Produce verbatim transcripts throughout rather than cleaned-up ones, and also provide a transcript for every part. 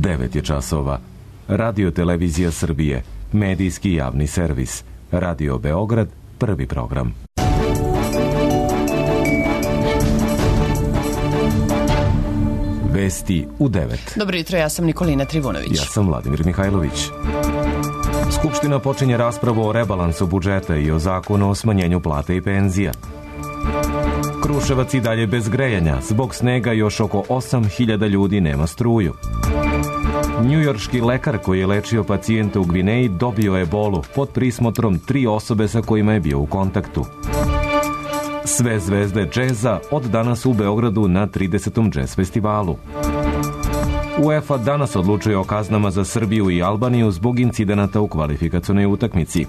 devet je časova. Radio Televizija Srbije, medijski javni servis. Radio Beograd, prvi program. Vesti u devet. Dobro jutro, ja sam Nikolina Trivunović. Ja sam Vladimir Mihajlović. Skupština počinje raspravu o rebalansu budžeta i o zakonu o smanjenju plata i penzija. Kruševac i dalje bez grejanja. Zbog snega još oko osam hiljada ljudi nema struju. Njujorški lekar koji je lečio pacijenta u Gvineji dobio ebolu pod prismotrom tri osobe sa kojima je bio u kontaktu. Sve zvezde džeza od danas u Beogradu na tridesetom džez festivalu. UEFA danas odlučuje o kaznama za Srbiju i Albaniju zbog incidenata u kvalifikacionoj utakmici.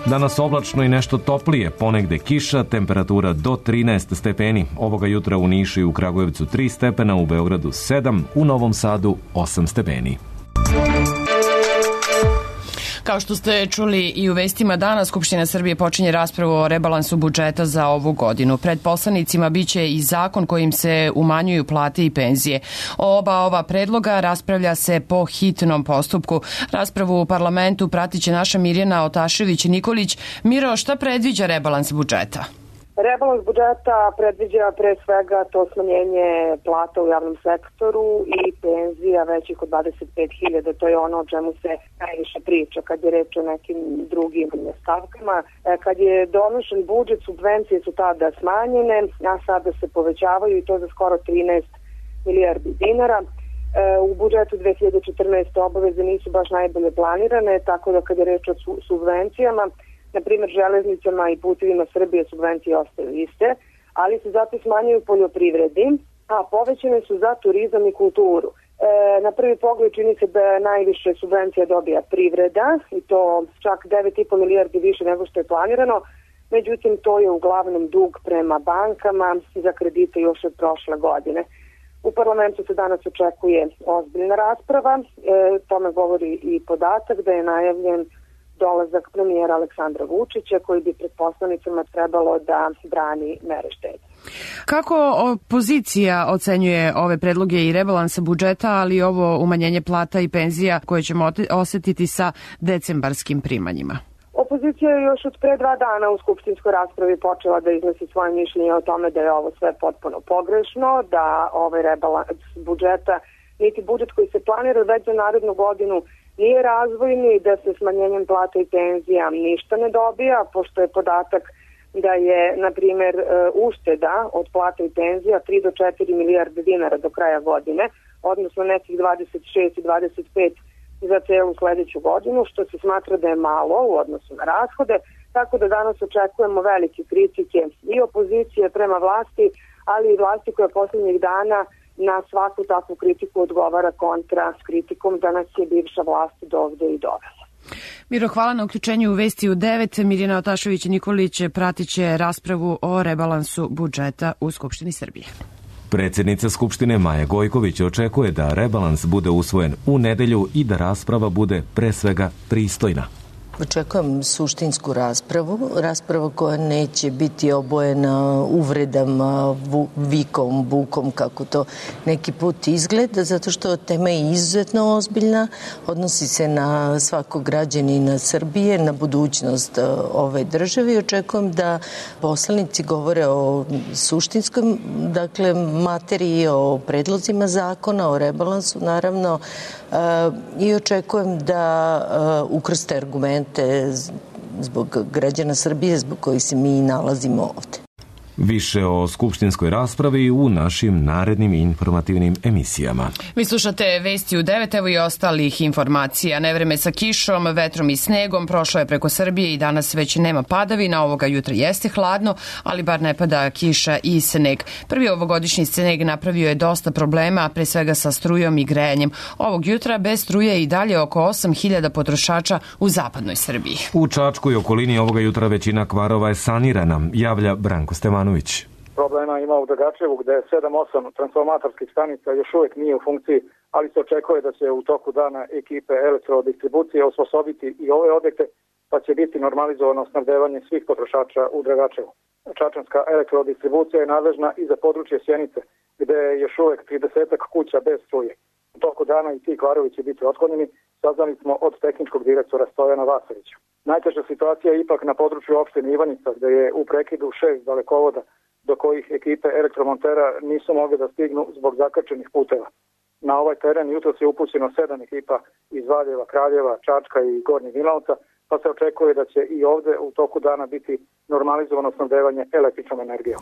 Danas oblačno i nešto toplije, ponegde kiša, temperatura do trinaest stepeni. Ovoga jutra u Nišu i u Kragujevcu tri stepena, u Beogradu sedam, u Novom Sadu osam stepeni. Kao što ste čuli i u vestima danas, Skupština Srbije počinje raspravu o rebalansu budžeta za ovu godinu. Pred poslanicima biće i zakon kojim se umanjuju plate i penzije. O oba ova predloga raspravlja se po hitnom postupku. Raspravu u parlamentu pratiće naša Mirjana Otašević-Nikolić. Miro, šta predviđa rebalans budžeta? Rebalans budžeta predviđa pre svega to smanjenje plata u javnom sektoru i penzija većih od dvadeset pet hiljada. To je ono o čemu se najviše priča kad je reč o nekim drugim stavkama. Kad je donošen budžet, subvencije su tada smanjene, a sada se povećavaju i to za skoro trinaest milijardi dinara. U budžetu dve hiljade četrnaeste. obaveze nisu baš najbolje planirane, tako da kad je reč o subvencijama, na primjer, železnicama i putevima Srbije subvencije ostaju iste, ali se zato smanjuju poljoprivredi, a povećane su za turizam i kulturu. E, na prvi pogled čini se da najviše subvencija dobija privreda i to čak devet i po milijardi više nego što je planirano, međutim to je uglavnom dug prema bankama za kredite još od prošle godine. U parlamentu se danas očekuje ozbiljna rasprava, e, tome govori i podatak da je najavljen dolazak premijera Aleksandra Vučića koji bi pred poslanicama trebalo da brani mere štednje. Kako opozicija ocenjuje ove predloge i rebalansa budžeta, ali i ovo umanjenje plata i penzija koje ćemo osetiti sa decembarskim primanjima? Opozicija je još od pre dva dana u skupštinskoj raspravi počela da iznosi svoje mišljenje o tome da je ovo sve potpuno pogrešno, da ovaj rebalans budžeta, niti budžet koji se planira već za narednu godinu, nije razvojni, da se smanjenjem plata i penzija ništa ne dobija, pošto je podatak da je, na primjer, ušteda od plata i penzija tri do četiri milijarde dinara do kraja godine, odnosno nekih dvadeset šest i dvadeset pet za celu sledeću godinu, što se smatra da je malo u odnosu na rashode, tako da danas očekujemo velike kritike i opozicije prema vlasti, ali i vlasti koja poslednjih dana na svaku takvu kritiku odgovara kontra s kritikom da nas je bivša vlast dovde i dovela. Miro, hvala na uključenju u Vesti u devet. Mirjana Otašević-Nikolić pratit će raspravu o rebalansu budžeta u Skupštini Srbije. Predsjednica Skupštine Maja Gojković očekuje da rebalans bude usvojen u nedelju i da rasprava bude pre svega pristojna. Očekujem suštinsku raspravu, raspravu koja neće biti obojena uvredama, vikom, bukom, kako to neki put izgleda, zato što tema je izuzetno ozbiljna, odnosi se na svakog građanina Srbije, na budućnost ove države i očekujem da poslanici govore o suštinskoj, dakle, materiji, o predlozima zakona, o rebalansu, naravno, i očekujem da ukrste argumente zbog građana Srbije, zbog kojih se mi nalazimo ovde. Više o skupštinskoj raspravi u našim narednim informativnim emisijama. Vi slušate Vesti u devet, evo i ostalih informacija. Nevreme sa kišom, vetrom i snegom prošlo je preko Srbije i danas već nema padavina. Ovoga jutra jeste hladno, ali bar ne pada kiša i sneg. Prvi ovogodišnji sneg napravio je dosta problema, pre svega sa strujom i grejanjem. Ovog jutra bez struje i dalje oko osam hiljada potrošača u zapadnoj Srbiji. U Čačku i okolini ovoga jutra većina kvarova je sanirana, javlja Branko Stevanović. Problema ima u Dragačevu gde sedam osam transformatorskih stanica još uvijek nije u funkciji, ali se očekuje da će u toku dana ekipe elektrodistribucije osposobiti i ove objekte, pa će biti normalizovano snabdevanje svih potrošača u Dragačevu. Čačanska elektrodistribucija je nadležna i za područje Sjenice, gde je još uvijek trideset kuća bez struje. toku dana i ti kvarovi će biti otklonjeni, saznali smo od tehničkog direktora Stojana Vasovića. Najteža situacija je ipak na području opštine Ivanica, gde je u prekidu šest dalekovoda do kojih ekipe elektromontera nisu mogli da stignu zbog zakrčenih puteva. Na ovaj teren jutros je upućeno sedam ekipa iz Valjeva, Kraljeva, Čačka i Gornjeg Milanovca, pa se očekuje da će i ovde u toku dana biti normalizovano snabdevanje električnom energijom.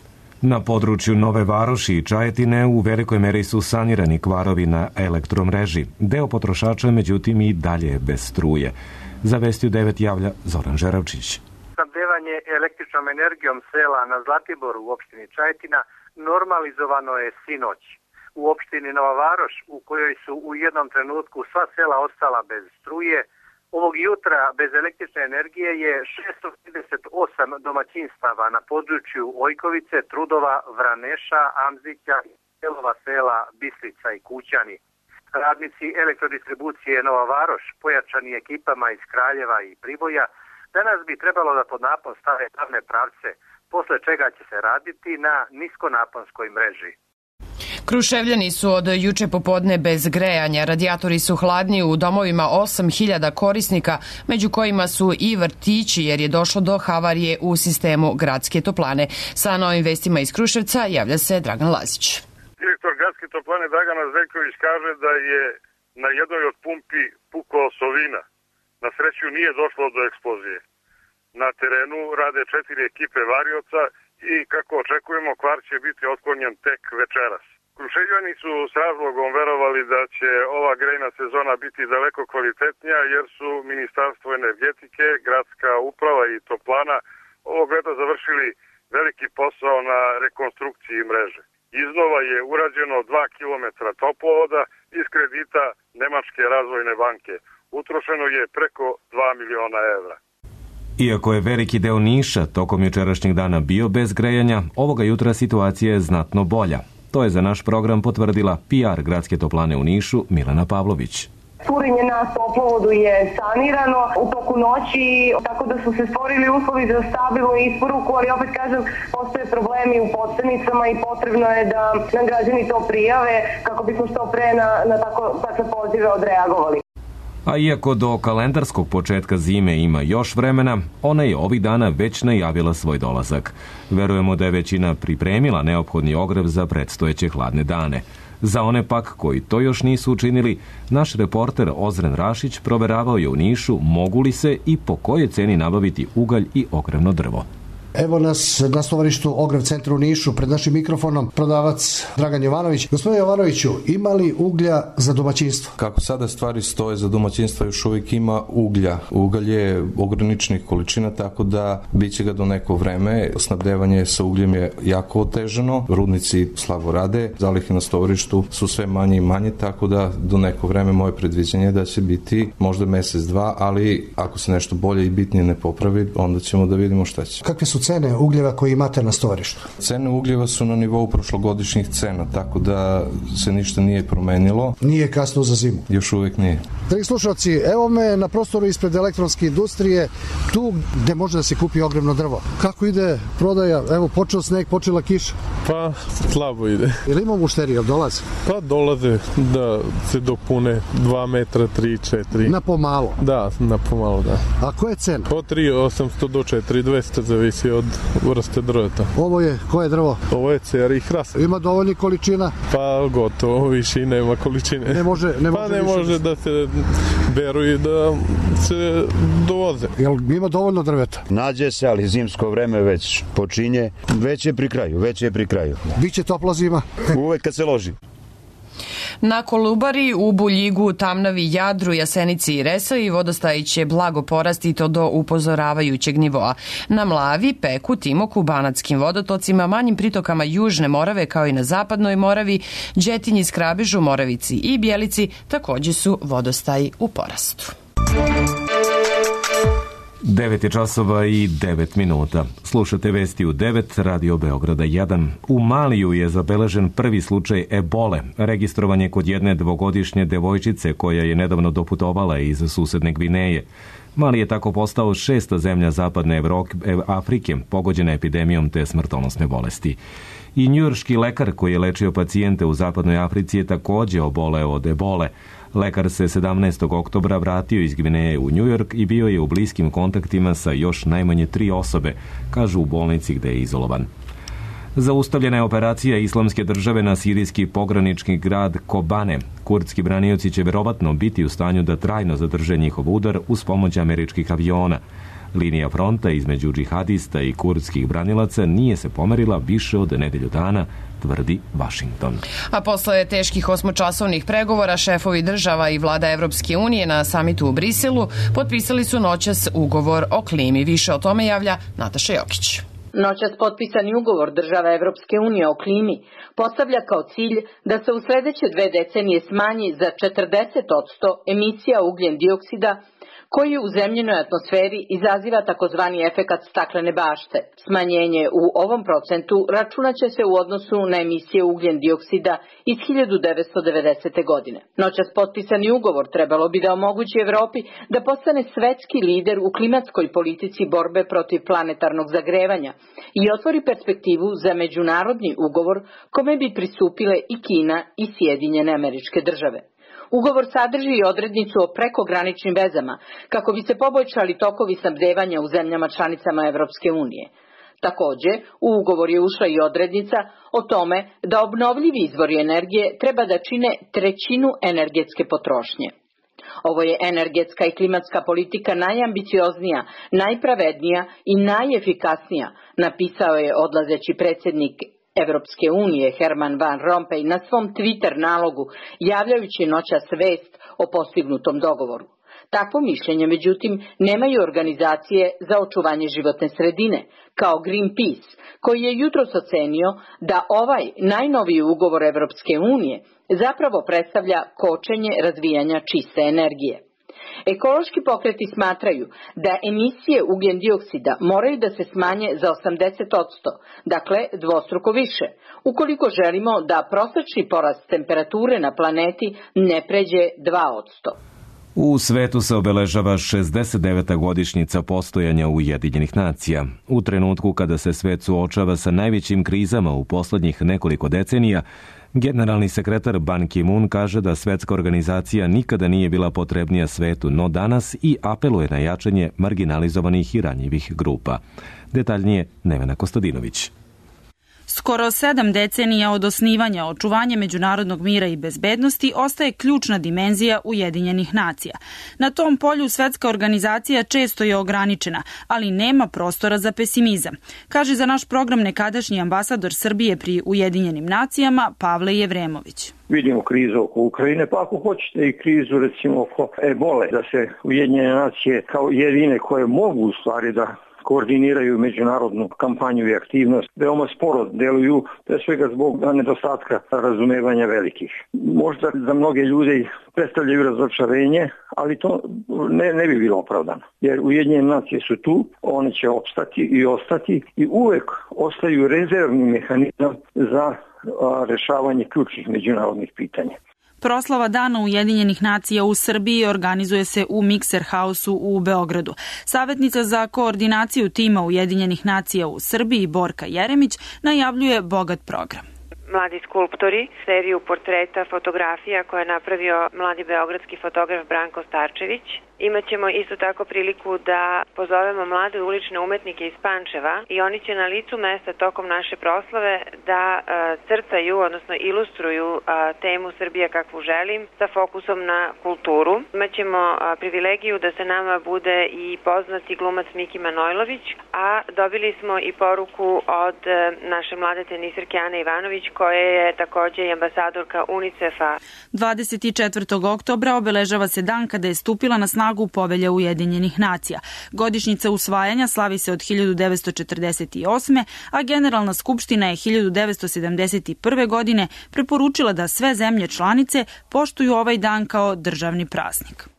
Na području Nove Varoši i Čajetine u velikoj meri su sanirani kvarovi na elektromreži. Deo potrošača, međutim, i dalje je bez struje. Za Vesti u devet javlja Zoran Žeravčić. Snabdevanje električnom energijom sela na Zlatiboru u opštini Čajetina normalizovano je sinoć. U opštini Nova Varoš, u kojoj su u jednom trenutku sva sela ostala bez struje, ovog jutra bez električne energije je šesto trideset osam domaćinstava na području Ojkovice, Trudova, Vraneša, Amzića i delova sela Bislica i Kućani. Radnici elektrodistribucije Nova Varoš, pojačani ekipama iz Kraljeva i Priboja, danas bi trebalo da pod napon stave glavne pravce, posle čega će se raditi na niskonaponskoj mreži. Kruševljani su od juče popodne bez grejanja. Radijatori su hladni u domovima osam hiljada korisnika, među kojima su i vrtići, jer je došlo do havarije u sistemu gradske toplane. Sa novim vestima iz Kruševca javlja se Dragan Lazić. Direktor gradske toplane Dragana Zveljković kaže da je na jednoj od pumpi pukao sovina. Na sreću nije došlo do eksplozije. Na terenu rade četiri ekipe varioca i kako očekujemo, kvar će biti otklonjen tek večeras. Kruševljani su s razlogom verovali da će ova grejna sezona biti daleko kvalitetnija, jer su Ministarstvo energetike, gradska uprava i toplana ovog leta završili veliki posao na rekonstrukciji mreže. Iznova je urađeno dva kilometra toplovoda iz kredita Nemačke razvojne banke. Utrošeno je preko dva miliona evra. Iako je veliki deo Niša tokom jučerašnjeg dana bio bez grejanja, ovoga jutra situacija je znatno bolja. To je za naš program potvrdila P R gradske toplane u Nišu Milena Pavlović. Curenje na toplovodu je sanirano u toku noći, tako da su se stvorili uslovi za stabilnu isporuku, ali opet kažem, postoje problemi u podstanicama i potrebno je da nam građani to prijave kako bismo što pre na, na tako, takve pozive odreagovali. A iako do kalendarskog početka zime ima još vremena, ona je ovih dana već najavila svoj dolazak. Verujemo da je većina pripremila neophodni ogrev za predstojeće hladne dane. Za one pak koji to još nisu učinili, naš reporter Ozren Rašić proveravao je u Nišu mogu li se i po kojoj ceni nabaviti ugalj i ogrevno drvo. Evo nas na stovarištu Ogrev centra u Nišu, pred našim mikrofonom prodavac Dragan Jovanović. Gospodine Jovanoviću, ima li uglja za domaćinstvo? Kako sada stvari stoje, za domaćinstvo još uvijek ima uglja. Ugalj je ograničenih količina, tako da bit će ga do neko vreme. Snabdevanje sa ugljem je jako otežano, rudnici slabo rade, zalihe na stovarištu su sve manje i manje, tako da do neko vreme moje predviđenje je da će biti možda mesec, dva, ali ako se nešto bolje i bitnije ne popravi, onda ćemo da vidimo šta će. Kakve su cene ugljeva koje imate na stovarištu? Cene ugljeva su na nivou prošlogodišnjih cena, tako da se ništa nije promenilo. Nije kasno za zimu? Još uvijek nije. Dragi slušalci, evo me na prostoru ispred elektronske industrije, tu gde može da se kupi ogrevno drvo. Kako ide prodaja? Evo, počeo sneg, počela kiša. Pa, slabo ide. Ili ima mušterija, dolaze? Pa, dolaze da se dopune dva metra, tri, četiri. Na pomalo? Da, na pomalo, da. A koja je cena? Od tri osamsto do četiri dvesta, zavisi od vrste drveta. Ovo je, koje drvo? Ovo je cera i hrast. Ima dovoljnih količina? Pa, gotovo, više i nema količine. Ne može, ne može pa, ne može da se beru i da se dovoze. Jel ima dovoljno drveta? Nađe se, ali zimsko vreme već počinje. Već je pri kraju, već je pri kraju. Biće topla zima? Uvek kad se loži. Na Kolubari, u Buljigu, Tamnavi, Jadru, Jasenici i Resavi vodostaji će blago porasti i to do upozoravajućeg nivoa. Na Mlavi, Peku, Timoku, Banatskim vodotocima, manjim pritokama Južne Morave kao i na Zapadnoj Moravi, Đetinji, Skrabežu, Moravici i Bjelici takođe su vodostaji u porastu. devet je časova i devet minuta. Slušate vesti u devet, Radio Beograda jedan. U Maliju je zabeležen prvi slučaj ebole. Registrovan je kod jedne dvogodišnje devojčice koja je nedavno doputovala iz susedne Gvineje. Mali je tako postao šesta zemlja zapadne Afrike pogođena epidemijom te smrtonosne bolesti. I njujorški lekar koji je lečio pacijente u zapadnoj Africi je takođe oboleo od ebole. Lekar se sedamnaestog oktobra vratio iz Gvineje u Njujork i bio je u bliskim kontaktima sa još najmanje tri osobe, kažu u bolnici gde je izolovan. Zaustavljena je operacija Islamske države na sirijski pogranični grad Kobane. Kurdski branioci će verovatno biti u stanju da trajno zadrže njihov udar uz pomoć američkih aviona. Linija fronta između džihadista i kurdskih branilaca nije se pomerila više od nedelju dana, tvrdi Vašington. A posle teških osmočasovnih pregovora šefovi država i vlada Evropske unije na samitu u Briselu potpisali su noćas ugovor o klimi. Više o tome javlja Nataša Jokić. Noćas potpisani ugovor država Evropske unije o klimi postavlja kao cilj da se u sledeće dve decenije smanji za četrdeset posto emisija ugljen dioksida koji u zemljenoj atmosferi izaziva takozvani efekat staklene bašte. Smanjenje u ovom procentu računaće se u odnosu na emisije ugljen dioksida iz hiljadu devetsto devedesete. godine. Noćas potpisani ugovor trebalo bi da omogući Evropi da postane svetski lider u klimatskoj politici borbe protiv planetarnog zagrevanja i otvori perspektivu za međunarodni ugovor kome bi pristupile i Kina i Sjedinjene Američke Države. Ugovor sadrži i odrednicu o prekograničnim vezama kako bi se poboljšali tokovi snabdevanja u zemljama članicama Evropske unije. Takođe, u ugovor je ušla i odrednica o tome da obnovljivi izvori energije treba da čine trećinu energetske potrošnje. Ovo je energetska i klimatska politika najambicioznija, najpravednija i najefikasnija, napisao je odlazeći predsjednik Evropske unije Herman Van Rompuy na svom Twitter nalogu, javljajući noćas vest o postignutom dogovoru. Takvo mišljenje, međutim, nemaju organizacije za očuvanje životne sredine, kao Greenpeace, koji je jutros ocenio da ovaj najnoviji ugovor Evropske unije zapravo predstavlja kočenje razvijanja čiste energije. Ekološki pokreti smatraju da emisije ugljen dioksida moraju da se smanje za osamdeset posto, dakle dvostruko više, ukoliko želimo da prosečni porast temperature na planeti ne pređe dva posto. U svetu se obeležava šezdeset deveta godišnjica postojanja Ujedinjenih nacija. U trenutku kada se svet suočava sa najvećim krizama u poslednjih nekoliko decenija, generalni sekretar Ban Ki-moon kaže da svetska organizacija nikada nije bila potrebnija svetu, no danas i apeluje na jačanje marginalizovanih i ranjivih grupa. Detaljnije Nevena Kostadinović. Skoro sedam decenija od osnivanja očuvanje međunarodnog mira i bezbednosti ostaje ključna dimenzija Ujedinjenih nacija. Na tom polju svetska organizacija često je ograničena, ali nema prostora za pesimizam, kaže za naš program nekadašnji ambasador Srbije pri Ujedinjenim nacijama Pavle Jevremović. Vidimo krizu oko Ukrajine, pa ako hoćete i krizu recimo oko ebole, da se Ujedinjene nacije kao jedine koje mogu u stvari da koordiniraju međunarodnu kampanju i aktivnost, veoma sporo deluju, pre svega zbog nedostatka razumevanja velikih. Možda za mnoge ljude predstavljaju razočarenje, ali to ne, ne bi bilo opravdano. Jer Ujedinjene nacije su tu, one će opstati i ostati i uvek ostaju rezervni mehanizam za rešavanje ključnih međunarodnih pitanja. Proslava Dana Ujedinjenih nacija u Srbiji organizuje se u Mikser Hausu u Beogradu. Savjetnica za koordinaciju tima Ujedinjenih nacija u Srbiji Borka Jeremić najavljuje bogat program. Mladi skulptori, seriju portreta, fotografija koje je napravio mladi beogradski fotograf Branko Starčević. Imaćemo isto tako priliku da pozovemo mlade ulične umetnike iz Pančeva i oni će na licu mesta tokom naše proslave da a, crtaju, odnosno ilustruju a, temu Srbija kakvu želim sa fokusom na kulturu. Imaćemo a, privilegiju da se nama bude i poznati glumac Miki Manojlović, a dobili smo i poruku od a, naše mlade tenisirke Ane Ivanović koja je takođe i ambasadorka UNICEF-a. dvadeset četvrtog oktobra obeležava se dan kada je stupila na snagu Povelja Ujedinjenih nacija. Godišnjica usvajanja slavi se od hiljadu devetsto četrdeset osme. a Generalna skupština je hiljadu devetsto sedamdeset prve. godine preporučila da sve zemlje članice poštuju ovaj dan kao državni praznik.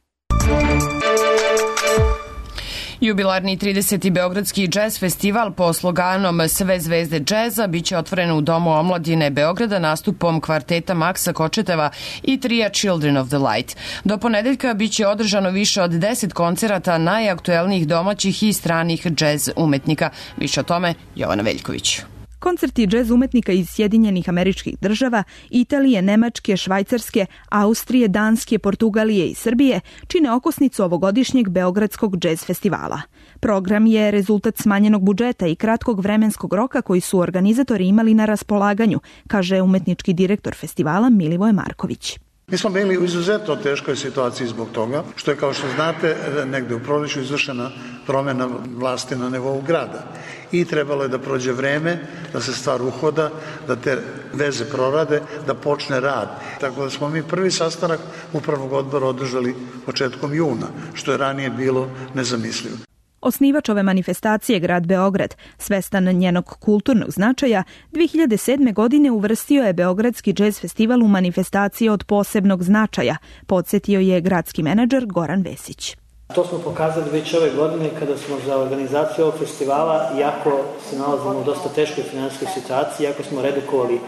Jubilarni trideseti Beogradski džez festival po sloganom Sve zvezde džeza biće otvoren u Domu omladine Beograda nastupom kvarteta Maksa Kočeteva i trija Children of the Light. Do ponedeljka biće održano više od deset koncerata najaktuelnijih domaćih i stranih džez umetnika. Više o tome Jovana Veljković. Koncerti džez umetnika iz Sjedinjenih Američkih Država, Italije, Nemačke, Švajcarske, Austrije, Danske, Portugalije i Srbije čine okosnicu ovogodišnjeg Beogradskog džez festivala. Program je rezultat smanjenog budžeta i kratkog vremenskog roka koji su organizatori imali na raspolaganju, kaže umetnički direktor festivala Milivoje Marković. Mi smo bili u izuzetno teškoj situaciji zbog toga, što je, kao što znate, negde u proleću izvršena promjena vlasti na nivou grada. I trebalo je da prođe vreme, da se stvar uhoda, da te veze prorade, da počne rad. Tako da smo mi prvi sastanak upravnog odbora održali početkom juna, što je ranije bilo nezamislivo. Osnivač ove manifestacije, grad Beograd, svestan njenog kulturnog značaja, dve hiljade sedme. godine uvrstio je Beogradski džez festival u manifestacije od posebnog značaja, podsjetio je gradski menadžer Goran Vesić. To smo pokazali već ove godine kada smo za organizaciju ovog festivala, iako se nalazimo u dosta teškoj finansijskoj situaciji, iako smo redukovali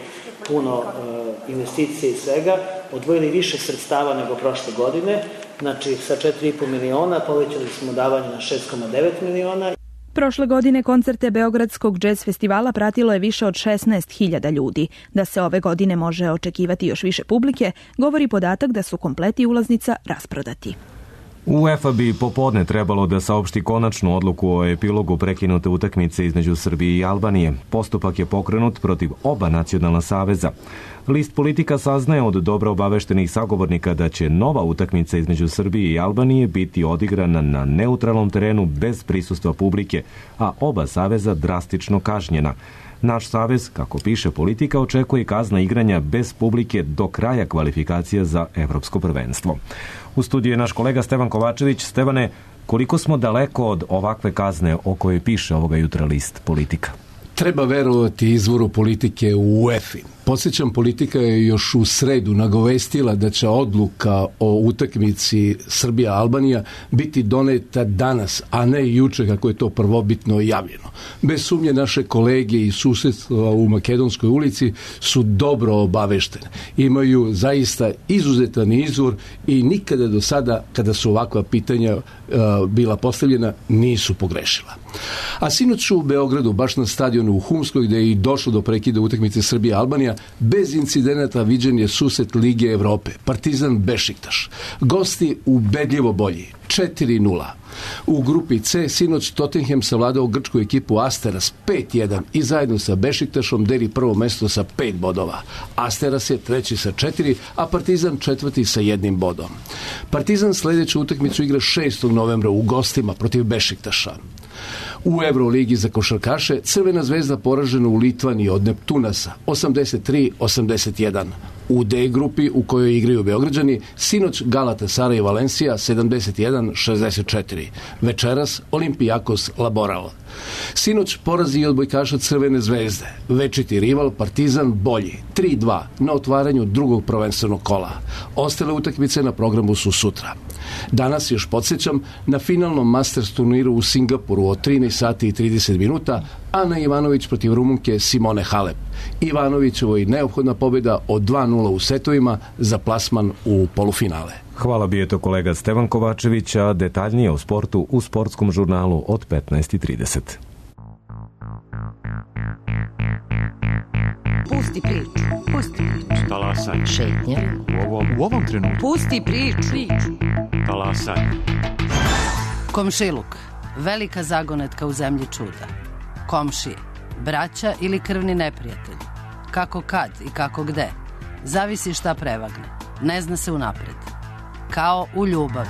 puno e, investicije i svega, odvojili više sredstava nego prošle godine, znači sa četiri i po miliona povećali smo davanje na šest zarez devet miliona. Prošle godine koncerte Beogradskog džez festivala pratilo je više od šesnaest hiljada ljudi. Da se ove godine može očekivati još više publike, govori podatak da su kompleti ulaznica rasprodati. UEFA bi popodne trebalo da saopšti konačnu odluku o epilogu prekinute utakmice između Srbije i Albanije. Postupak je pokrenut protiv oba nacionalna saveza. List Politika saznaje od dobro obaveštenih sagovornika da će nova utakmica između Srbije i Albanije biti odigrana na neutralnom terenu bez prisustva publike, a oba saveza drastično kažnjena. Naš savez, kako piše Politika, očekuje kazna igranja bez publike do kraja kvalifikacija za evropsko prvenstvo. U studiju je naš kolega Stevan Kovačević. Stevane, koliko smo daleko od ovakve kazne o kojoj piše ovoga jutra list Politika? Treba verovati izvoru Politike u UEFA. Podsjećam, Politika je još u sredu nagovestila da će odluka o utakmici Srbija-Albanija biti doneta danas, a ne juče kako je to prvobitno javljeno. Bez sumnje naše kolege iz susedstva u Makedonskoj ulici su dobro obaveštene. Imaju zaista izuzetan izvor i nikada do sada, kada su ovakva pitanja uh, bila postavljena, nisu pogrešila. A sinoć u Beogradu, baš na stadionu u Humskoj, gde je i došlo do prekida utakmice Srbija-Albanija, bez incidenata viđen je susret Lige Evrope, Partizan Bešiktaš. Gosti ubedljivo bolji, četiri nula. U grupi C sinoć Tottenham savladao grčku ekipu Asteras pet jedan i zajedno sa Bešiktašom deli prvo mesto sa pet bodova. Asteras je treći sa četiri, a Partizan četvrti sa jednim bodom. Partizan sledeću utakmicu igra šestog novembra u gostima protiv Bešiktaša. U Euroligi za košarkaše Crvena zvezda poražena u Litvaniji od Neptunasa osamdeset tri osamdeset jedan. U D grupi u kojoj igraju Beograđani sinoć Galatasaray i Valencia sedamdeset jedan šezdeset četiri. Večeras Olimpijakos Laboral. Sinoć porazi i odbojkaša Crvene zvezde. Večiti rival Partizan bolji tri dva na otvaranju drugog prvenstvenog kola. Ostale utakmice na programu su sutra. Danas, još podsjećam, na finalnom Masters turniru u Singapuru od trinaest sati i trideset minuta Ana Ivanović protiv Rumunke Simone Halep. Ivanovićevoj neophodna pobjeda od dva nula u setovima za plasman u polufinale. Hvala bi je to kolega Stevan Kovačević, a detaljnije o sportu u sportskom žurnalu od petnaest i trideset. Pusti priču, pusti priču. Talasaj. Šetnja. U ovom, u ovom trenutku. Pusti priču. priču. Talasaj. Komšiluk, velika zagonetka u zemlji čuda. Komšije, braća ili krvni neprijatelji. Kako kad i kako gde. Zavisi šta prevagne. Ne zna se unapred. Kao u ljubavi.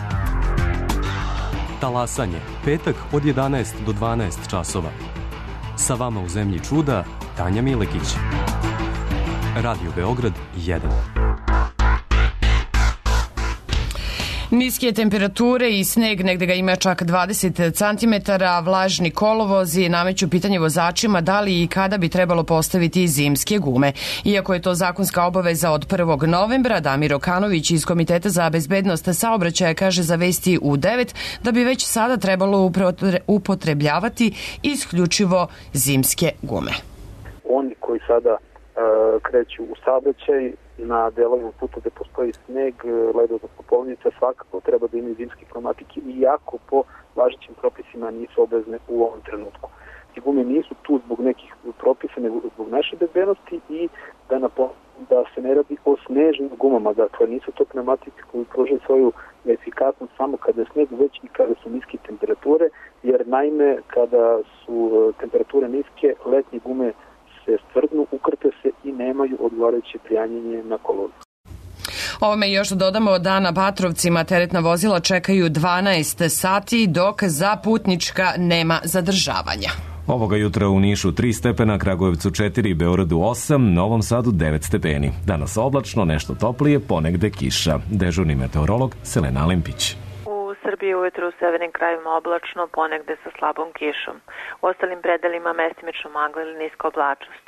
Talasanje, petak od jedanaest do dvanaest časova. Sa vama u zemlji čuda, Tanja Milekić. Radio Beograd jedan. Niske temperature i sneg, negde ga ima čak dvadeset centimetara, vlažni kolovozi nameću pitanje vozačima da li i kada bi trebalo postaviti zimske gume. Iako je to zakonska obaveza od prvog novembra, Damir Okanović iz Komiteta za bezbednost saobraćaja kaže za Vesti U devet da bi već sada trebalo upotrebljavati isključivo zimske gume. Oni koji sada uh, kreću u saobraćaj na delovima puta gde postoji sneg, led, odnosno polovnica, svakako treba da imaju zimske pneumatike, iako po važećim propisima nisu obvezne u ovom trenutku. Te gume nisu tu zbog nekih propisa, nego zbog naše bezbednosti i da napomenem da se ne radi o snežnim gumama, dakle nisu to pneumatike koji pružaju svoju efikasnost samo kada je sneg, već i kada su niske temperature, jer naime kada su temperature niske, letnje gume se stvrdnu, ukrpe se i nemaju odgovarajuće prijanjenje na kolonu. Ovome još dodamo da na Batrovcima teretna vozila čekaju dvanaest sati, dok za putnička nema zadržavanja. Ovoga jutra u Nišu tri stepena, Kragujevcu četiri, Beogradu osam, Novom Sadu devet stepeni. Danas oblačno, nešto toplije, ponegde kiša. Dežurni meteorolog Selena Limpić. U Srbiji ujutru u severnim krajevima oblačno, ponegde sa slabom kišom. U ostalim predelima mestimično magla ili niska oblačnost.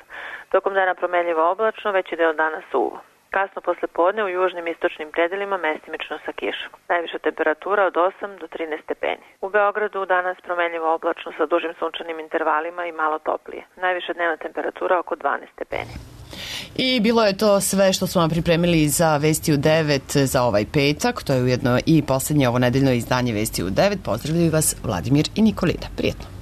Tokom dana promenljivo oblačno, veći deo dana suvo. Kasno posle podne u južnim istočnim predelima mestimično sa kišom. Najviša temperatura od osam do trinaest stepeni. U Beogradu danas promenljivo oblačno sa dužim sunčanim intervalima i malo toplije. Najviša dnevna temperatura oko dvanaest stepeni. I bilo je to sve što smo vam pripremili za Vesti u devet za ovaj petak. To je ujedno i poslednje ovo nedeljno izdanje Vesti u devet. Pozdravljaju vas Vladimir i Nikolina. Prijetno.